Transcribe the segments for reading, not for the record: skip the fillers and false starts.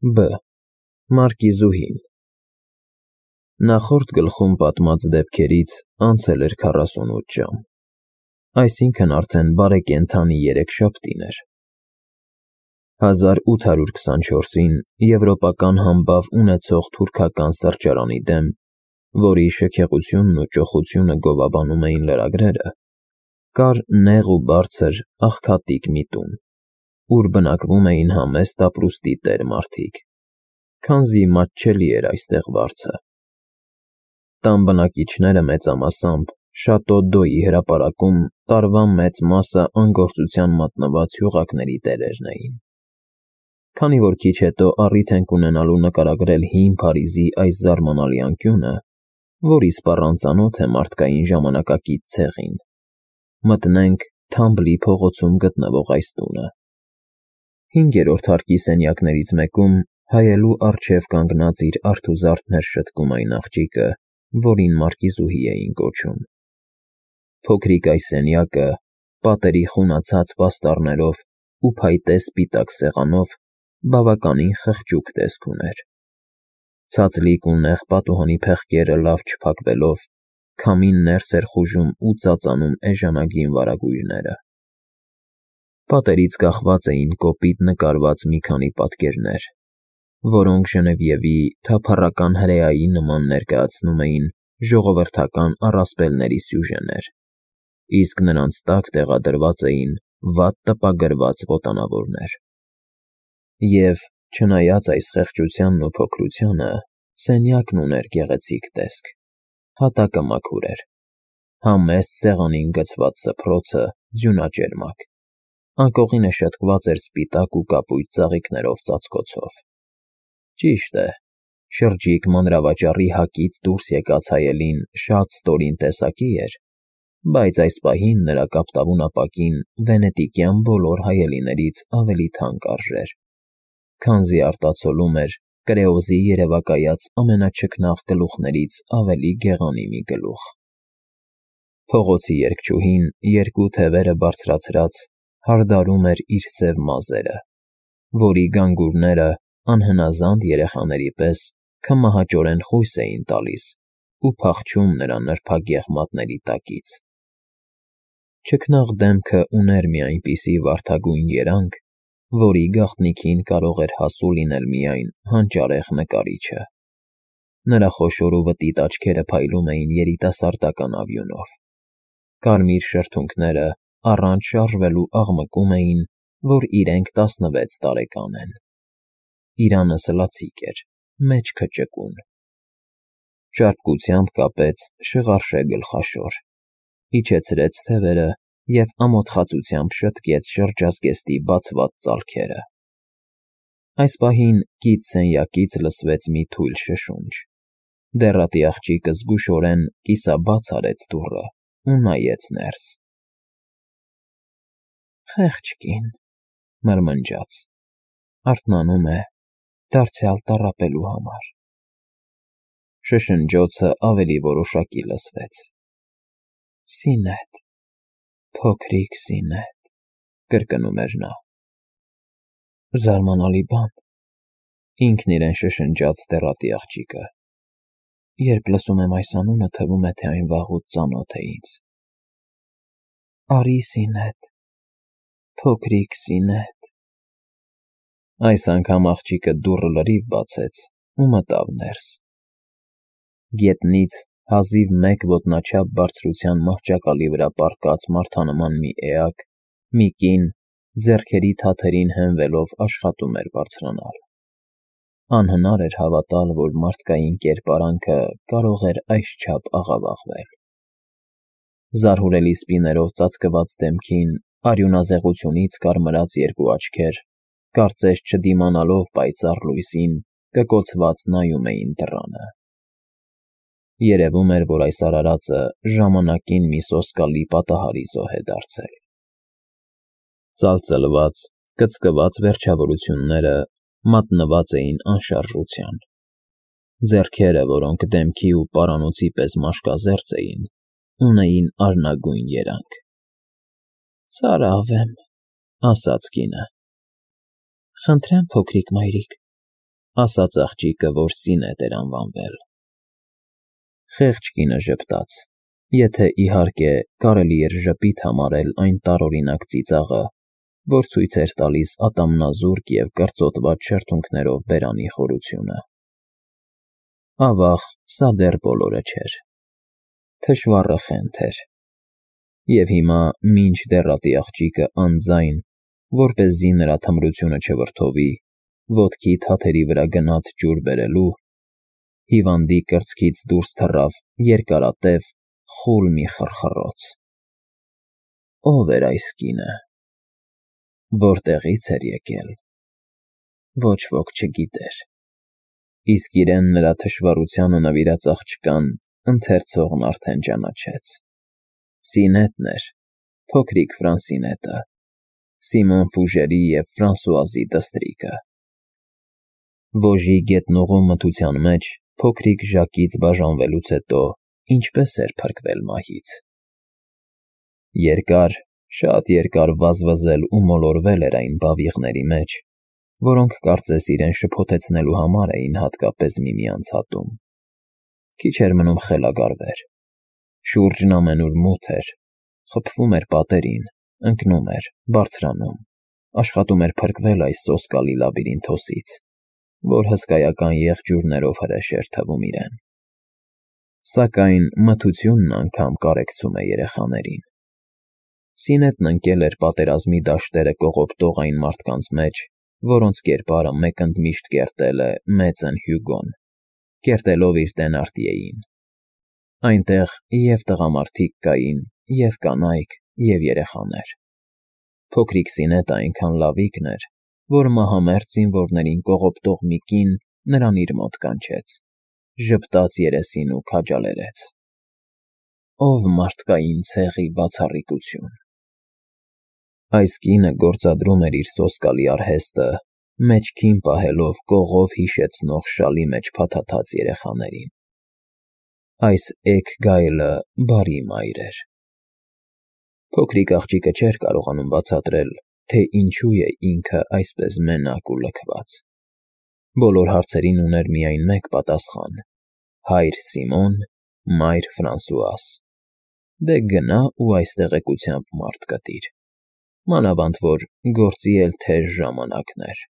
Բ. Մարկիզուհին Նախորդ գլխում պատմած դեպքերից անցել էր 48 ժամ, այսինքն արդեն բարեկենդանի երեքշաբթին էր։ 1824-ին եվրոպական համբավ ունեցող թուրքական սրճարանի դեմ, որի շքեղությունն ու ճոխությունը գովաբանում էին լրագրերը, կար նեղ ու բարձր աղքատիկ մի տուն, ուր բնակվում էին համեստ ապրուստի տեր մարդիկ, քանզի մատչելի էր այստեղ վարձը։ Տան բնակիչները մեծամասամբ Շատո Դոյի հրապարակում տարվա մեծ մասը անգործության մատնված հյուղակների տերերն էին։ Քանի որ քիչ հետո առիթ ենք ունենալու նկարագրել հին Փարիզի այս զարմանալի անկյունը, որի սպառանծանոթ է մարդկային ժամանակակից ցեղին, մտնենք Թամբլի փողոցում գտնվող այս տունը։ 5-րդ հարկի սենյակներից մեկում հայելու առջև կանգնած իր արթուզարդն էր շտկում այն աղջիկը, որին Մարկիզուհի էին կոչում։ Փոքրիկ այս սենյակը, պատերի խունացած պաստառներով ու փայտե սպիտակ սեղանով, բավականին խղճուկ տեսք ուներ։ Ցածլիկ ու նեղ պատուհանի փեղկերը լավ չփակվելով, քամին ներս էր խուժում ու ծածանում էժանագին վարագույրները։ Պատերից կախված էին կոպիտ նկարված մի քանի պատկերներ, որոնք Ժնևիևի թափառական հրեայի նման ներկայացնում էին ժողովրդական առասպելների սյուժեներ, իսկ նրանց տակ տեղադրված էին վատ տպագրված ոտանավորներ։ Եվ, չնայած այս խեղճությանն ու փոքրությանը, սենյակն ուներ գեղեցիկ տեսք, հատակը մաքուր էր, համեստ սեղանին գցված սփռոցը ձյունաճերմակ, անկողինը շտկված էր սպիտակ ու կապույտ ծաղիկներով ծածկոցով։ Ճիշտ է, շրջիկ մանրավաճառի հակից դուրս եկած հայելին շատ ստորին տեսակի էր, բայց այս պահին նրա կապտավուն ապակին վենետիկյան բոլոր հայելիներից ավելի թանկ արժեր, քանզի արտացոլում էր կրեոզի երևակայած ամենաչքնաղ գլուխներից ավելի գեղանի մի գլուխ։ Փողոցի երգչուհին, երկու թևերը բարձրացրած, հարդարում էր իր սև մազերը, որի գանգուրները անհնազանդ երեխաների պես քմահաճորեն խույս էին տալիս ու փախչում նրա նրբագեղ մատների տակից։ Չքնաղ դեմքը ուներ մի այնպիսի վարդագույն երանգ, որի գաղտնիքին կարող էր հասու լինել միայն հանճարեղ նկարիչը։ Նրա խոշոր ու վտիտ աչքերը փայլում էին երիտասարդական ավյունով։ Կարմիր շրթունքները առանց շարժվելու աղմկում էին, որ իրենք 16 տարեկան են։ Իրանը սլացիկ էր, մեջքը ճկուն։ Ճարպկությամբ կապեց շղարշե գլխաշոր, իջեցրեց թևերը և ամոթխածությամբ շտկեց շրջազգեստի բացված ծալքերը։ Այս պահին կից սենյակից լսվեց մի թույլ շշունչ։ Դեռատի աղջիկը զգուշորեն կիսաբաց արեց դուռը ու նայեց ներս։ «Խեղճ կին», մրմնջաց, «արթնանում է դարձյալ տառապելու համար»։ Շշնջոցը ավելի որոշակի լսվեց։ «Զինետ, փոքրիկ Զինետ», կրկնում էր նա։ «Զարմանալի բան», ինքն իրեն շշնջաց դեռատի աղջիկը։ «Երբ լսում եմ այս անունը, թվում է, թե այն վաղուց ծանոթ է ինձ։ Արի, Զինետ, փոքրիկ Զինետ»։ Այս անգամ աղջիկը դուռը լրիվ բացեց ու մտավ ներս։ Գետնից հազիվ 1 ոտնաչափ բարձրության մահճակալի վրա պառկած մարդանման մի էակ, մի կին, ձեռքերի թաթերին հենվելով աշխատում էր բարձրանալ։ Անհնար էր հավատալ, որ մարդկային կերպարանքը կարող էր այսչափ աղավաղվել։ Զարհուրելի սպիներով ծածկված դեմքին արյունազեղությունից կարմրած երկու աչքեր, կարծես չդիմանալով պայծառ լույսին, կկոցված նայում էին դռանը։ Երևում էր, որ այս արարածը ժամանակին մի սոսկալի պատահարի զոհ է դարձել։ Ծալծլված, կծկված վերջավորությունները մատնված էին անշարժության։ Ձեռքերը, որոնք դեմքի ու պարանոցի պես մաշկազերծ էին, ունեին արնագույն երանգ։ «Ծարավ եմ», ասաց կինը։ «Խնդրեմ, փոքրիկ մայրիկ, ասաց աղջիկը, որ Սինետ էր անվանվել։ Խեղճ կինը ժպտաց, եթե իհարկե կարելի էր ժպիտ համարել այն տարօրինակ ծիծաղը, որ ցույց էր տալիս ատամնազուրկ և կրծոտված շրթունքներով բերանի խորությունը։ Ավաղ, սա դեռ բոլորը չէր։ Թշվառը խենթ էր։ Եվ հիմա, մինչ դեռատի աղջիկը անձայն, որպեսզի նրա թմրությունը չվրդովի, ոտքի թաթերի վրա գնաց ջուր բերելու, հիվանդի կրծքից դուրս թռավ երկարատև, խուլ մի խռխռոց։ Ո՞վ էր այս կինը։ Որտեղից էր եկել։ Ոչ ոք չգիտեր։ Իսկ իրեն նրա թշվառությանը նվիրած աղջկան ընթերցողն արդեն ճանաչեց։ Սինետն էր, փոքրիկ Ֆրանսինետը, Սիմոն Ֆուժերի և Ֆրանսուազի դստրիկը։ Ոժի գետնուղու մթության մեջ փոքրիկ Ժակից բաժանվելուց հետո ինչպես էր փրկվել մահից։ Երկար, շատ երկար վազվզել ու մոլորվել էր այն բավիղների մեջ, որոնք կարծես իրեն շփոթեցնելու համար էին հատկապես միմյանց հատում։ Քիչ էր մնում խելագարվեր։ Շուրջն ամենուր մութ էր, խփվում էր պատերին, ընկնում էր, բարձրանում, աշխատում էր փրկվել այս սոսկալի լաբիրինթոսից, որ հսկայական եղջյուրներով հրեշ էր թվում իրեն։ Սակայն մթությունն անգամ կարեկցում է երեխաներին։ Սինետն ընկել էր պատերազմի դաշտերը կողոպտող այն մարդկանց մեջ, որոնց կերպարը մեկ ընդմիշտ կերտել է մեծն Հյուգոն, կերտելով իր Թենարտիեին։ Այնտեղ և տղամարդիկ կային, և կանայք, և երեխաներ։ Փոքրիկ Սինետը այնքան լավիկն էր, որ մահամերձ զինվորներին կողոպտող մի կին նրան իր մոտ կանչեց, ժպտաց երեսին ու քաջալերեց։ Ով մարդկային ցեղի բացառիկություն։ Այս կինը գործադրում էր իր սոսկալի արհեստը, մեջքին պահելով կողով հիշեցնող շալի մեջ փաթաթած երեխաներին։ Այս էգ գայլը բարի մայր էր։ Փոքրիկ աղջիկը չէր կարողանում բացատրել, թե ինչու է ինքը այսպես մենակ ու լքված։ Բոլոր հարցերին ուներ միայն մեկ պատասխան՝ հայր Սիմոն, մայր Ֆրանսուաս։ Դե գնա ու այս տեղեկությամբ մարդ կտիր։ Մանավանդ որ գործի էլ թեժ ժամանակներ։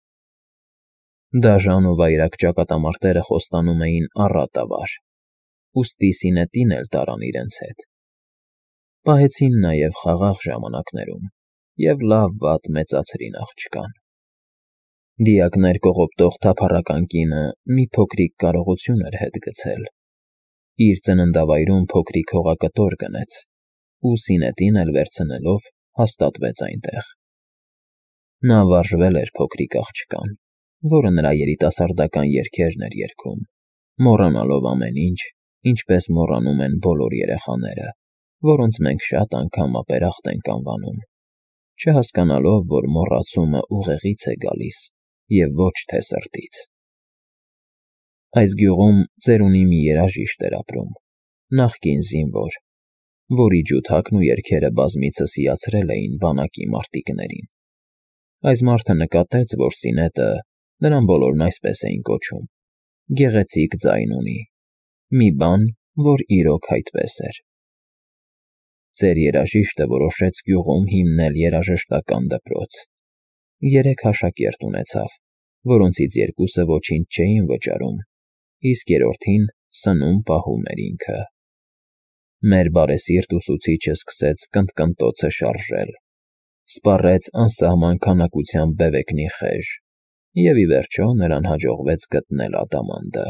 Դաժան ու վայրագ ճակատամարտերը խոստանում էին առատավար, ուստի Սինետին էլ տարան իրենց հետ։ Պահեցին նաև խաղաղ ժամանակներում և լավ-վատ մեծացրին աղջկան։ Դիակներ կողոպտող թափառական կինը մի փոքրիկ կարողություն էր հետ գցել։ Իր ծննդավայրում փոքրիկ հողակտոր գնեց ու Սինետին էլ վերցնելով հաստատվեց այնտեղ։ Նա վարժվել էր փոքրիկ աղջկան, որը նրա երիտասարդական երգերն էր երգում, մոռանալով ամեն ինչ, ինչպես մոռանում են բոլոր երեխաները, որոնց մենք շատ անգամ ապերախտ ենք անվանում, չհասկանալով, որ մոռացումը ուղեղից է գալիս և ոչ թե սրտից։ Այս գյուղում ծերունի մի երաժիշտ էր ապրում, նախկին զինվոր, որի ջութակն ու երգերը բազմիցս հիացրել էին բանակի մարտիկներին։ Այս մարդը նկատեց, որ Սինետը, նրան բոլորն այսպես էին կոչում, գեղեցիկ ձայն ունի, մի բան, որ իրոք այդպես էր։ Ծեր երաժիշտը որոշեց գյուղում հիմնել երաժշտական դպրոց։ 3 աշակերտ ունեցավ, որոնցից 2-ը ոչինչ չէին վճարում, իսկ երրորդին սնում-պահում էր ինքը։ Մեր բարեսիրտ ուսուցիչը սկսեց կնտկնտոցը շարժել, սպառեց անսահման քանակությամբ բևեկնի խեժ, և ի վերջո նրան հաջողվեց գտնել ադամանդը,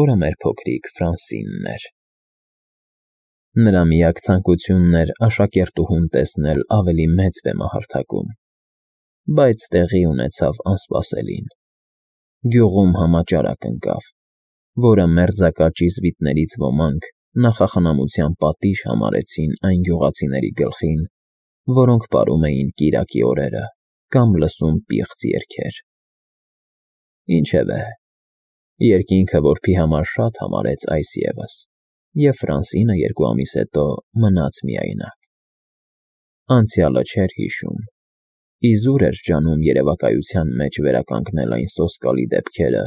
որը մեր փոքրիկ Ֆրանսինն էր։ Նրա միակ ցանկությունն էր աշակերտուհուն տեսնել ավելի մեծ բեմահարթակում, բայց տեղի ունեցավ անսպասելին։ Գյուղում համաճարակ ընկավ, որը մերձակա ճիզվիտներից ոմանք նախախնամության պատիժ համարեցին այն գյուղացիների գլխին, որոնք պարում էին կիրակի օրերը կամ լսում պիղծ երգեր։ Ինչևէ, երկինքը որբի համար շատ համարեց այս ևս, և Ֆրանսինը 2 ամիս հետո մնաց միայնակ։ Անցյալը չէր հիշում, Իզուր էր ջանում երևակայության մեջ վերականգնել այն սոսկալի դեպքերը,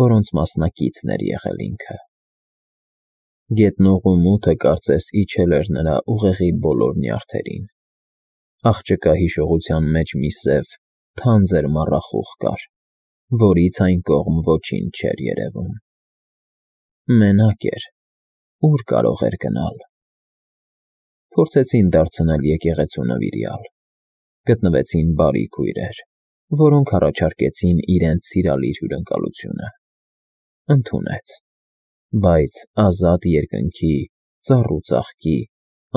որոնց մասնակիցն էր եղել ինքը։ Գետնուղու մութը կարծես իջել էր նրա ուղեղի բոլոր նյարդերին։ Աղջկա հիշողության մեջ մի սև, թանձր մառախուղ կար, որից այն կողմ ոչինչ չէր երևում։ Մենակ էր, ուր կարող էր գնալ։ Փորձեցին դարձնել եկեղեցու նվիրյալ։ Գտնվեցին բարի քույրեր, որոնք առաջարկեցին իրենց սիրալիր հյուրընկալությունը։ Ընդունեց, բայց ազատ երկնքի, ծառ ու ծաղկի,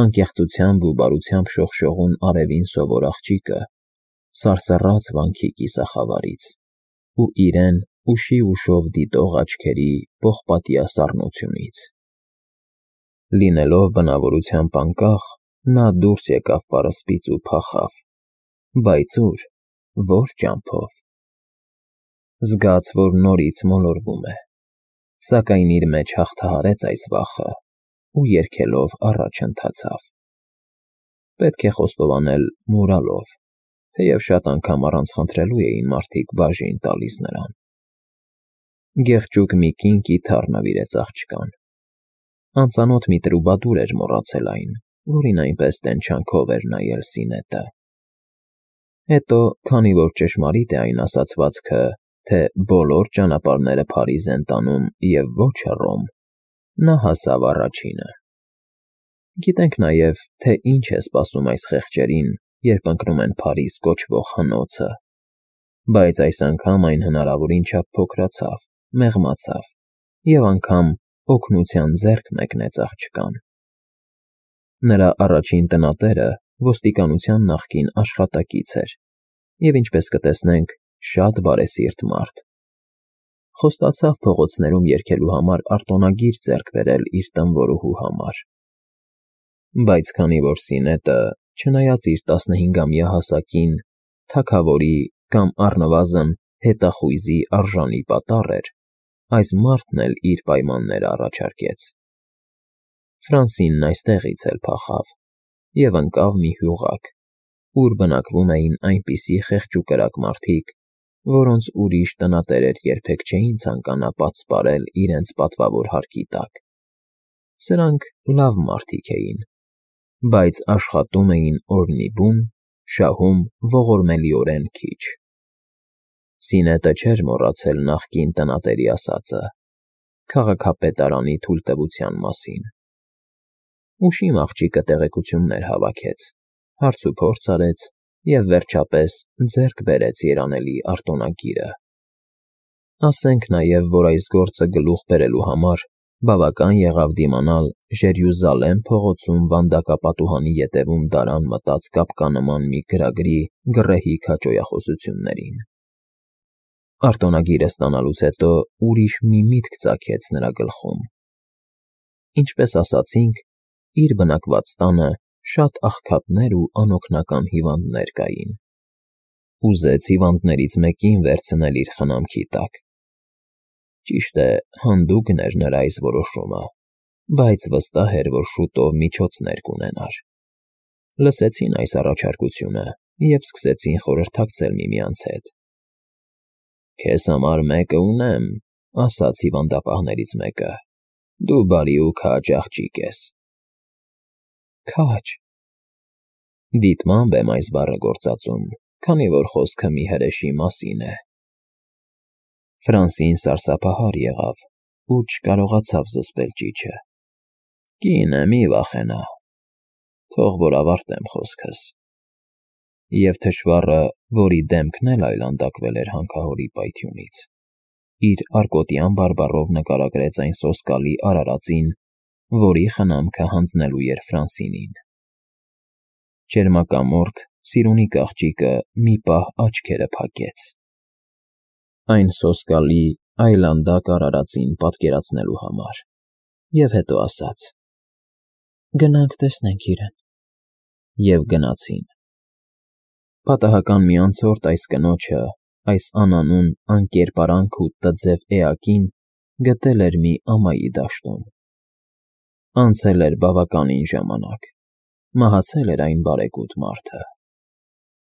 անկեղծությամբ ու բարությամբ շողշողուն արևին սովոր աղջիկը սարսռաց վանքի կիսախավարից ու իրեն ուշի ուշով դիտող աչքերի պողպատյա սառնությունից։ Լինելով բնավորությամբ անկախ, նա դուրս եկավ պարսպից ու փախավ, բայց ուր, որ ճամփով։ Զգաց, որ նորից մոլորվում է, սակայն իր մեջ հաղթահարեց այս վախը ու երգելով առաջ ընթացավ։ Պետք է խոստովանել մուրալով, թեև շատ անգամ առանց խնդրելու էին մարդիկ բաժին տալիս նրան։ Գեղջուկ մի կին կիթառ նվիրեց աղջկան։ Անծանոթ մի տրուբադուր էր մոռացել այն, որին այնպես տենչանքով էր նայել Սինետը։ Հետո, քանի որ ճշմարիտ է այն ասացվածքը, թե բոլոր ճանապարհները Փարիզ են տանում և ոչ Հռոմ, նա հասավ առաջինը։ Գիտենք նաև, թե ինչ է սպասում այս խեղճերին, երբ ընկնում են Փարիզ կոչվող հնոցը, բայց այս անգամ այն հնարավորին չափ փոքրացավ, մեղմացավ և անգամ օգնության ձեռք մեկնեց աղջկան։ Նրա առաջին տնատերը ոստիկանության նախկին աշխատակից էր և, ինչպես կտեսնենք, շատ բարեսիրտ մարդ։ Խոստացավ փողոցներում երգելու համար արտոնագիր ձեռք բերել իր տնօրուհու համար։ Բայց քանի որ Սինետը, չնայած իր 15-ամյա հասակին, թագավորի կամ առնվազն հետախույզի արժանի պատառ էր, այս մարդն էլ իր պայմանները առաջարկեց։ Ֆրանսինն այստեղից էլ փախավ և ընկավ մի հյուղակ, ուր բնակվում էին այնպիսի խեղճուկրակ մարդիկ, որոնց ուրիշ տնատերեր երբեք չէին ցանկանա պատսպարել իրենց պատվավոր հարկի տակ։ Սրանք լավ մարդիկ էին, բայց աշխատում էին օրնիբուն, շահում ողորմելիորեն քիչ։ Սինետը չէր մոռացել նախկին տնատերի ասածը քաղաքապետարանի թույլտվության մասին։ Ուշիմ աղջիկը տեղեկություններ հավաքեց, հարցուփորձ արեց և, վերջապես, ձեռք բերեց երանելի արտոնագիրը։ Ասենք նաև, որ այս գործը գլուխ բերելու համար բավական եղավ դիմանալ Ժերյուզալեմ փողոցում վանդակապատուհանի ետևում դարան մտած կապկանման մի գրագրի գռեհիկ հաճոյախոսություններին։ Արտոնագիրը ստանալուց հետո ուրիշ մի միտք ծագեց նրա գլխում։ Ինչպես ասացինք, իր բնակված տանը շատ աղքատներ ու անօգնական հիվանդներ կային։ Ուզեց հիվանդներից մեկին վերցնել իր խնամքի տակ։ Ճիշտ է, հանդուգն էր նրա այս որոշումը, բայց վստահ էր, որ շուտով միջոցներ կունենար։ Լսեցին այս առաջարկությունը և սկսեցին խորհրդակցել միմյանց հետ։ «Քեզ համար մեկը ունեմ,֊ ասաց հիվանդապահներից մեկը,֊ դու բարի ու քաջ աղջիկ ես»։ Քաջ… Դիտմամբ եմ այս բառը գործածում, քանի որ խոսքը մի հրեշի մասին է։ Ֆրանսին սարսափահար եղավ ու չկարողացավ զսպել ճիչը։ Կին է, մի վախենա, թող որ ավարտեմ խոսքս։ Եվ թշվառը, որի դեմքն էլ այլանդակվել էր հանքահորի պայթյունից, իր արկոտյան բարբառով նկարագրեց այն սոսկալի արարածին, որի խնամքը հանձնելու էր Ֆրանսինին։ Ճերմակամորթ, սիրունիկ աղջիկը մի պահ աչքերը փակեց։ Այն սոսկալի, այլանդակ արարածին պատկերացնելու համար, և հետո ասաց. «Գնանք տեսնենք իրեն»։ Եվ գնացին։ Պատահական մի անցորդ այս կնոջը, այս անանուն անկերպարանք ու տձև էակին գտել էր մի ամայի դաշտում։ Անցել էր բավականին ժամանակ, մահացել էր այն բարեգութ մարդը։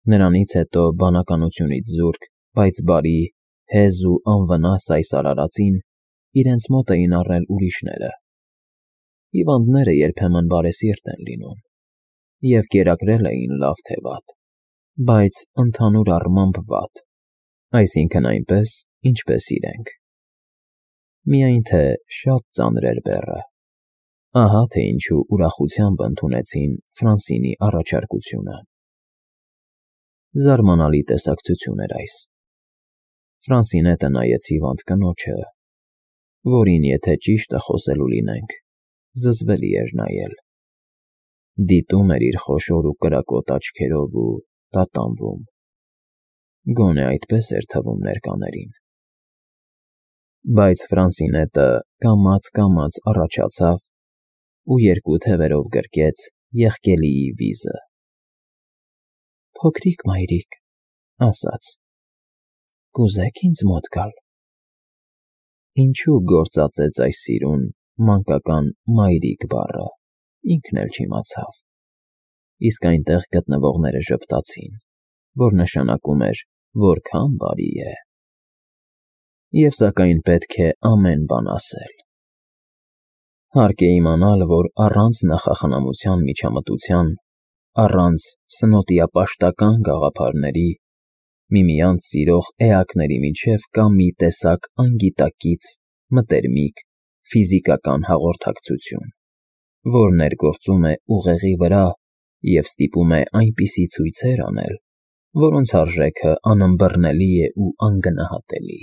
Նրանից հետո բանականությունից զուրկ, բայց բարի, հեզ ու անվնաս այս արարածին իրենց մոտ էին առել ուրիշները։ Հիվանդները երբեմն բարեսիրտ են լինում և կերակրել էին լավ թե վատ, բայց ընդհանուր առմամբ վատ, այսինքն այնպես, ինչպես իրենք։ Միայն թե շատ ծանր էր բեռը։ Ահա թե ինչու ուրախությամբ ընդունեցին Ֆրանսինի առաջարկությունը։ Զարմանալի տեսակցություն էր այս։ Ֆրանսինետը նայեց հիվանդ կնոջը, որին, եթե ճիշտը խոսելու լինենք, զզվելի էր նայել։ Դիտում էր իր խոշոր ու կրակոտ աչքերով ու տատանվում։ Գոնե այդպես էր թվում ներկաներին։ Բայց Ֆրանսինետը կամաց առաջացավ ու երկու թևերով գրկեց եղկելիի վիզը։ «Փոքրիկ մայրիկ», ասաց, «կուզե՞ք ինձ մոտ գալ»։ Ինչու գործածեց այս սիրուն մանկական մայրիկ բառը, ինքն էլ չիմացավ, իսկ այնտեղ գտնվողները ժպտացին, որ նշանակում էր, որքան բարի է։ Եվ սակայն պետք է ամեն բան ասել։ Հարկ է իմանալ, որ առանց նախախնամության միջամտության, առանց սնոտիապաշտական գաղափարների, միմյանց սիրող էակների միջև կա մի տեսակ անգիտակից, մտերմիկ, ֆիզիկական հաղորդակցություն, որ ներգործում է ուղեղի վրա և ստիպում է այնպիսի ցույցեր անել, որոնց արժեքը անըմբռնելի է ու անգնահատելի։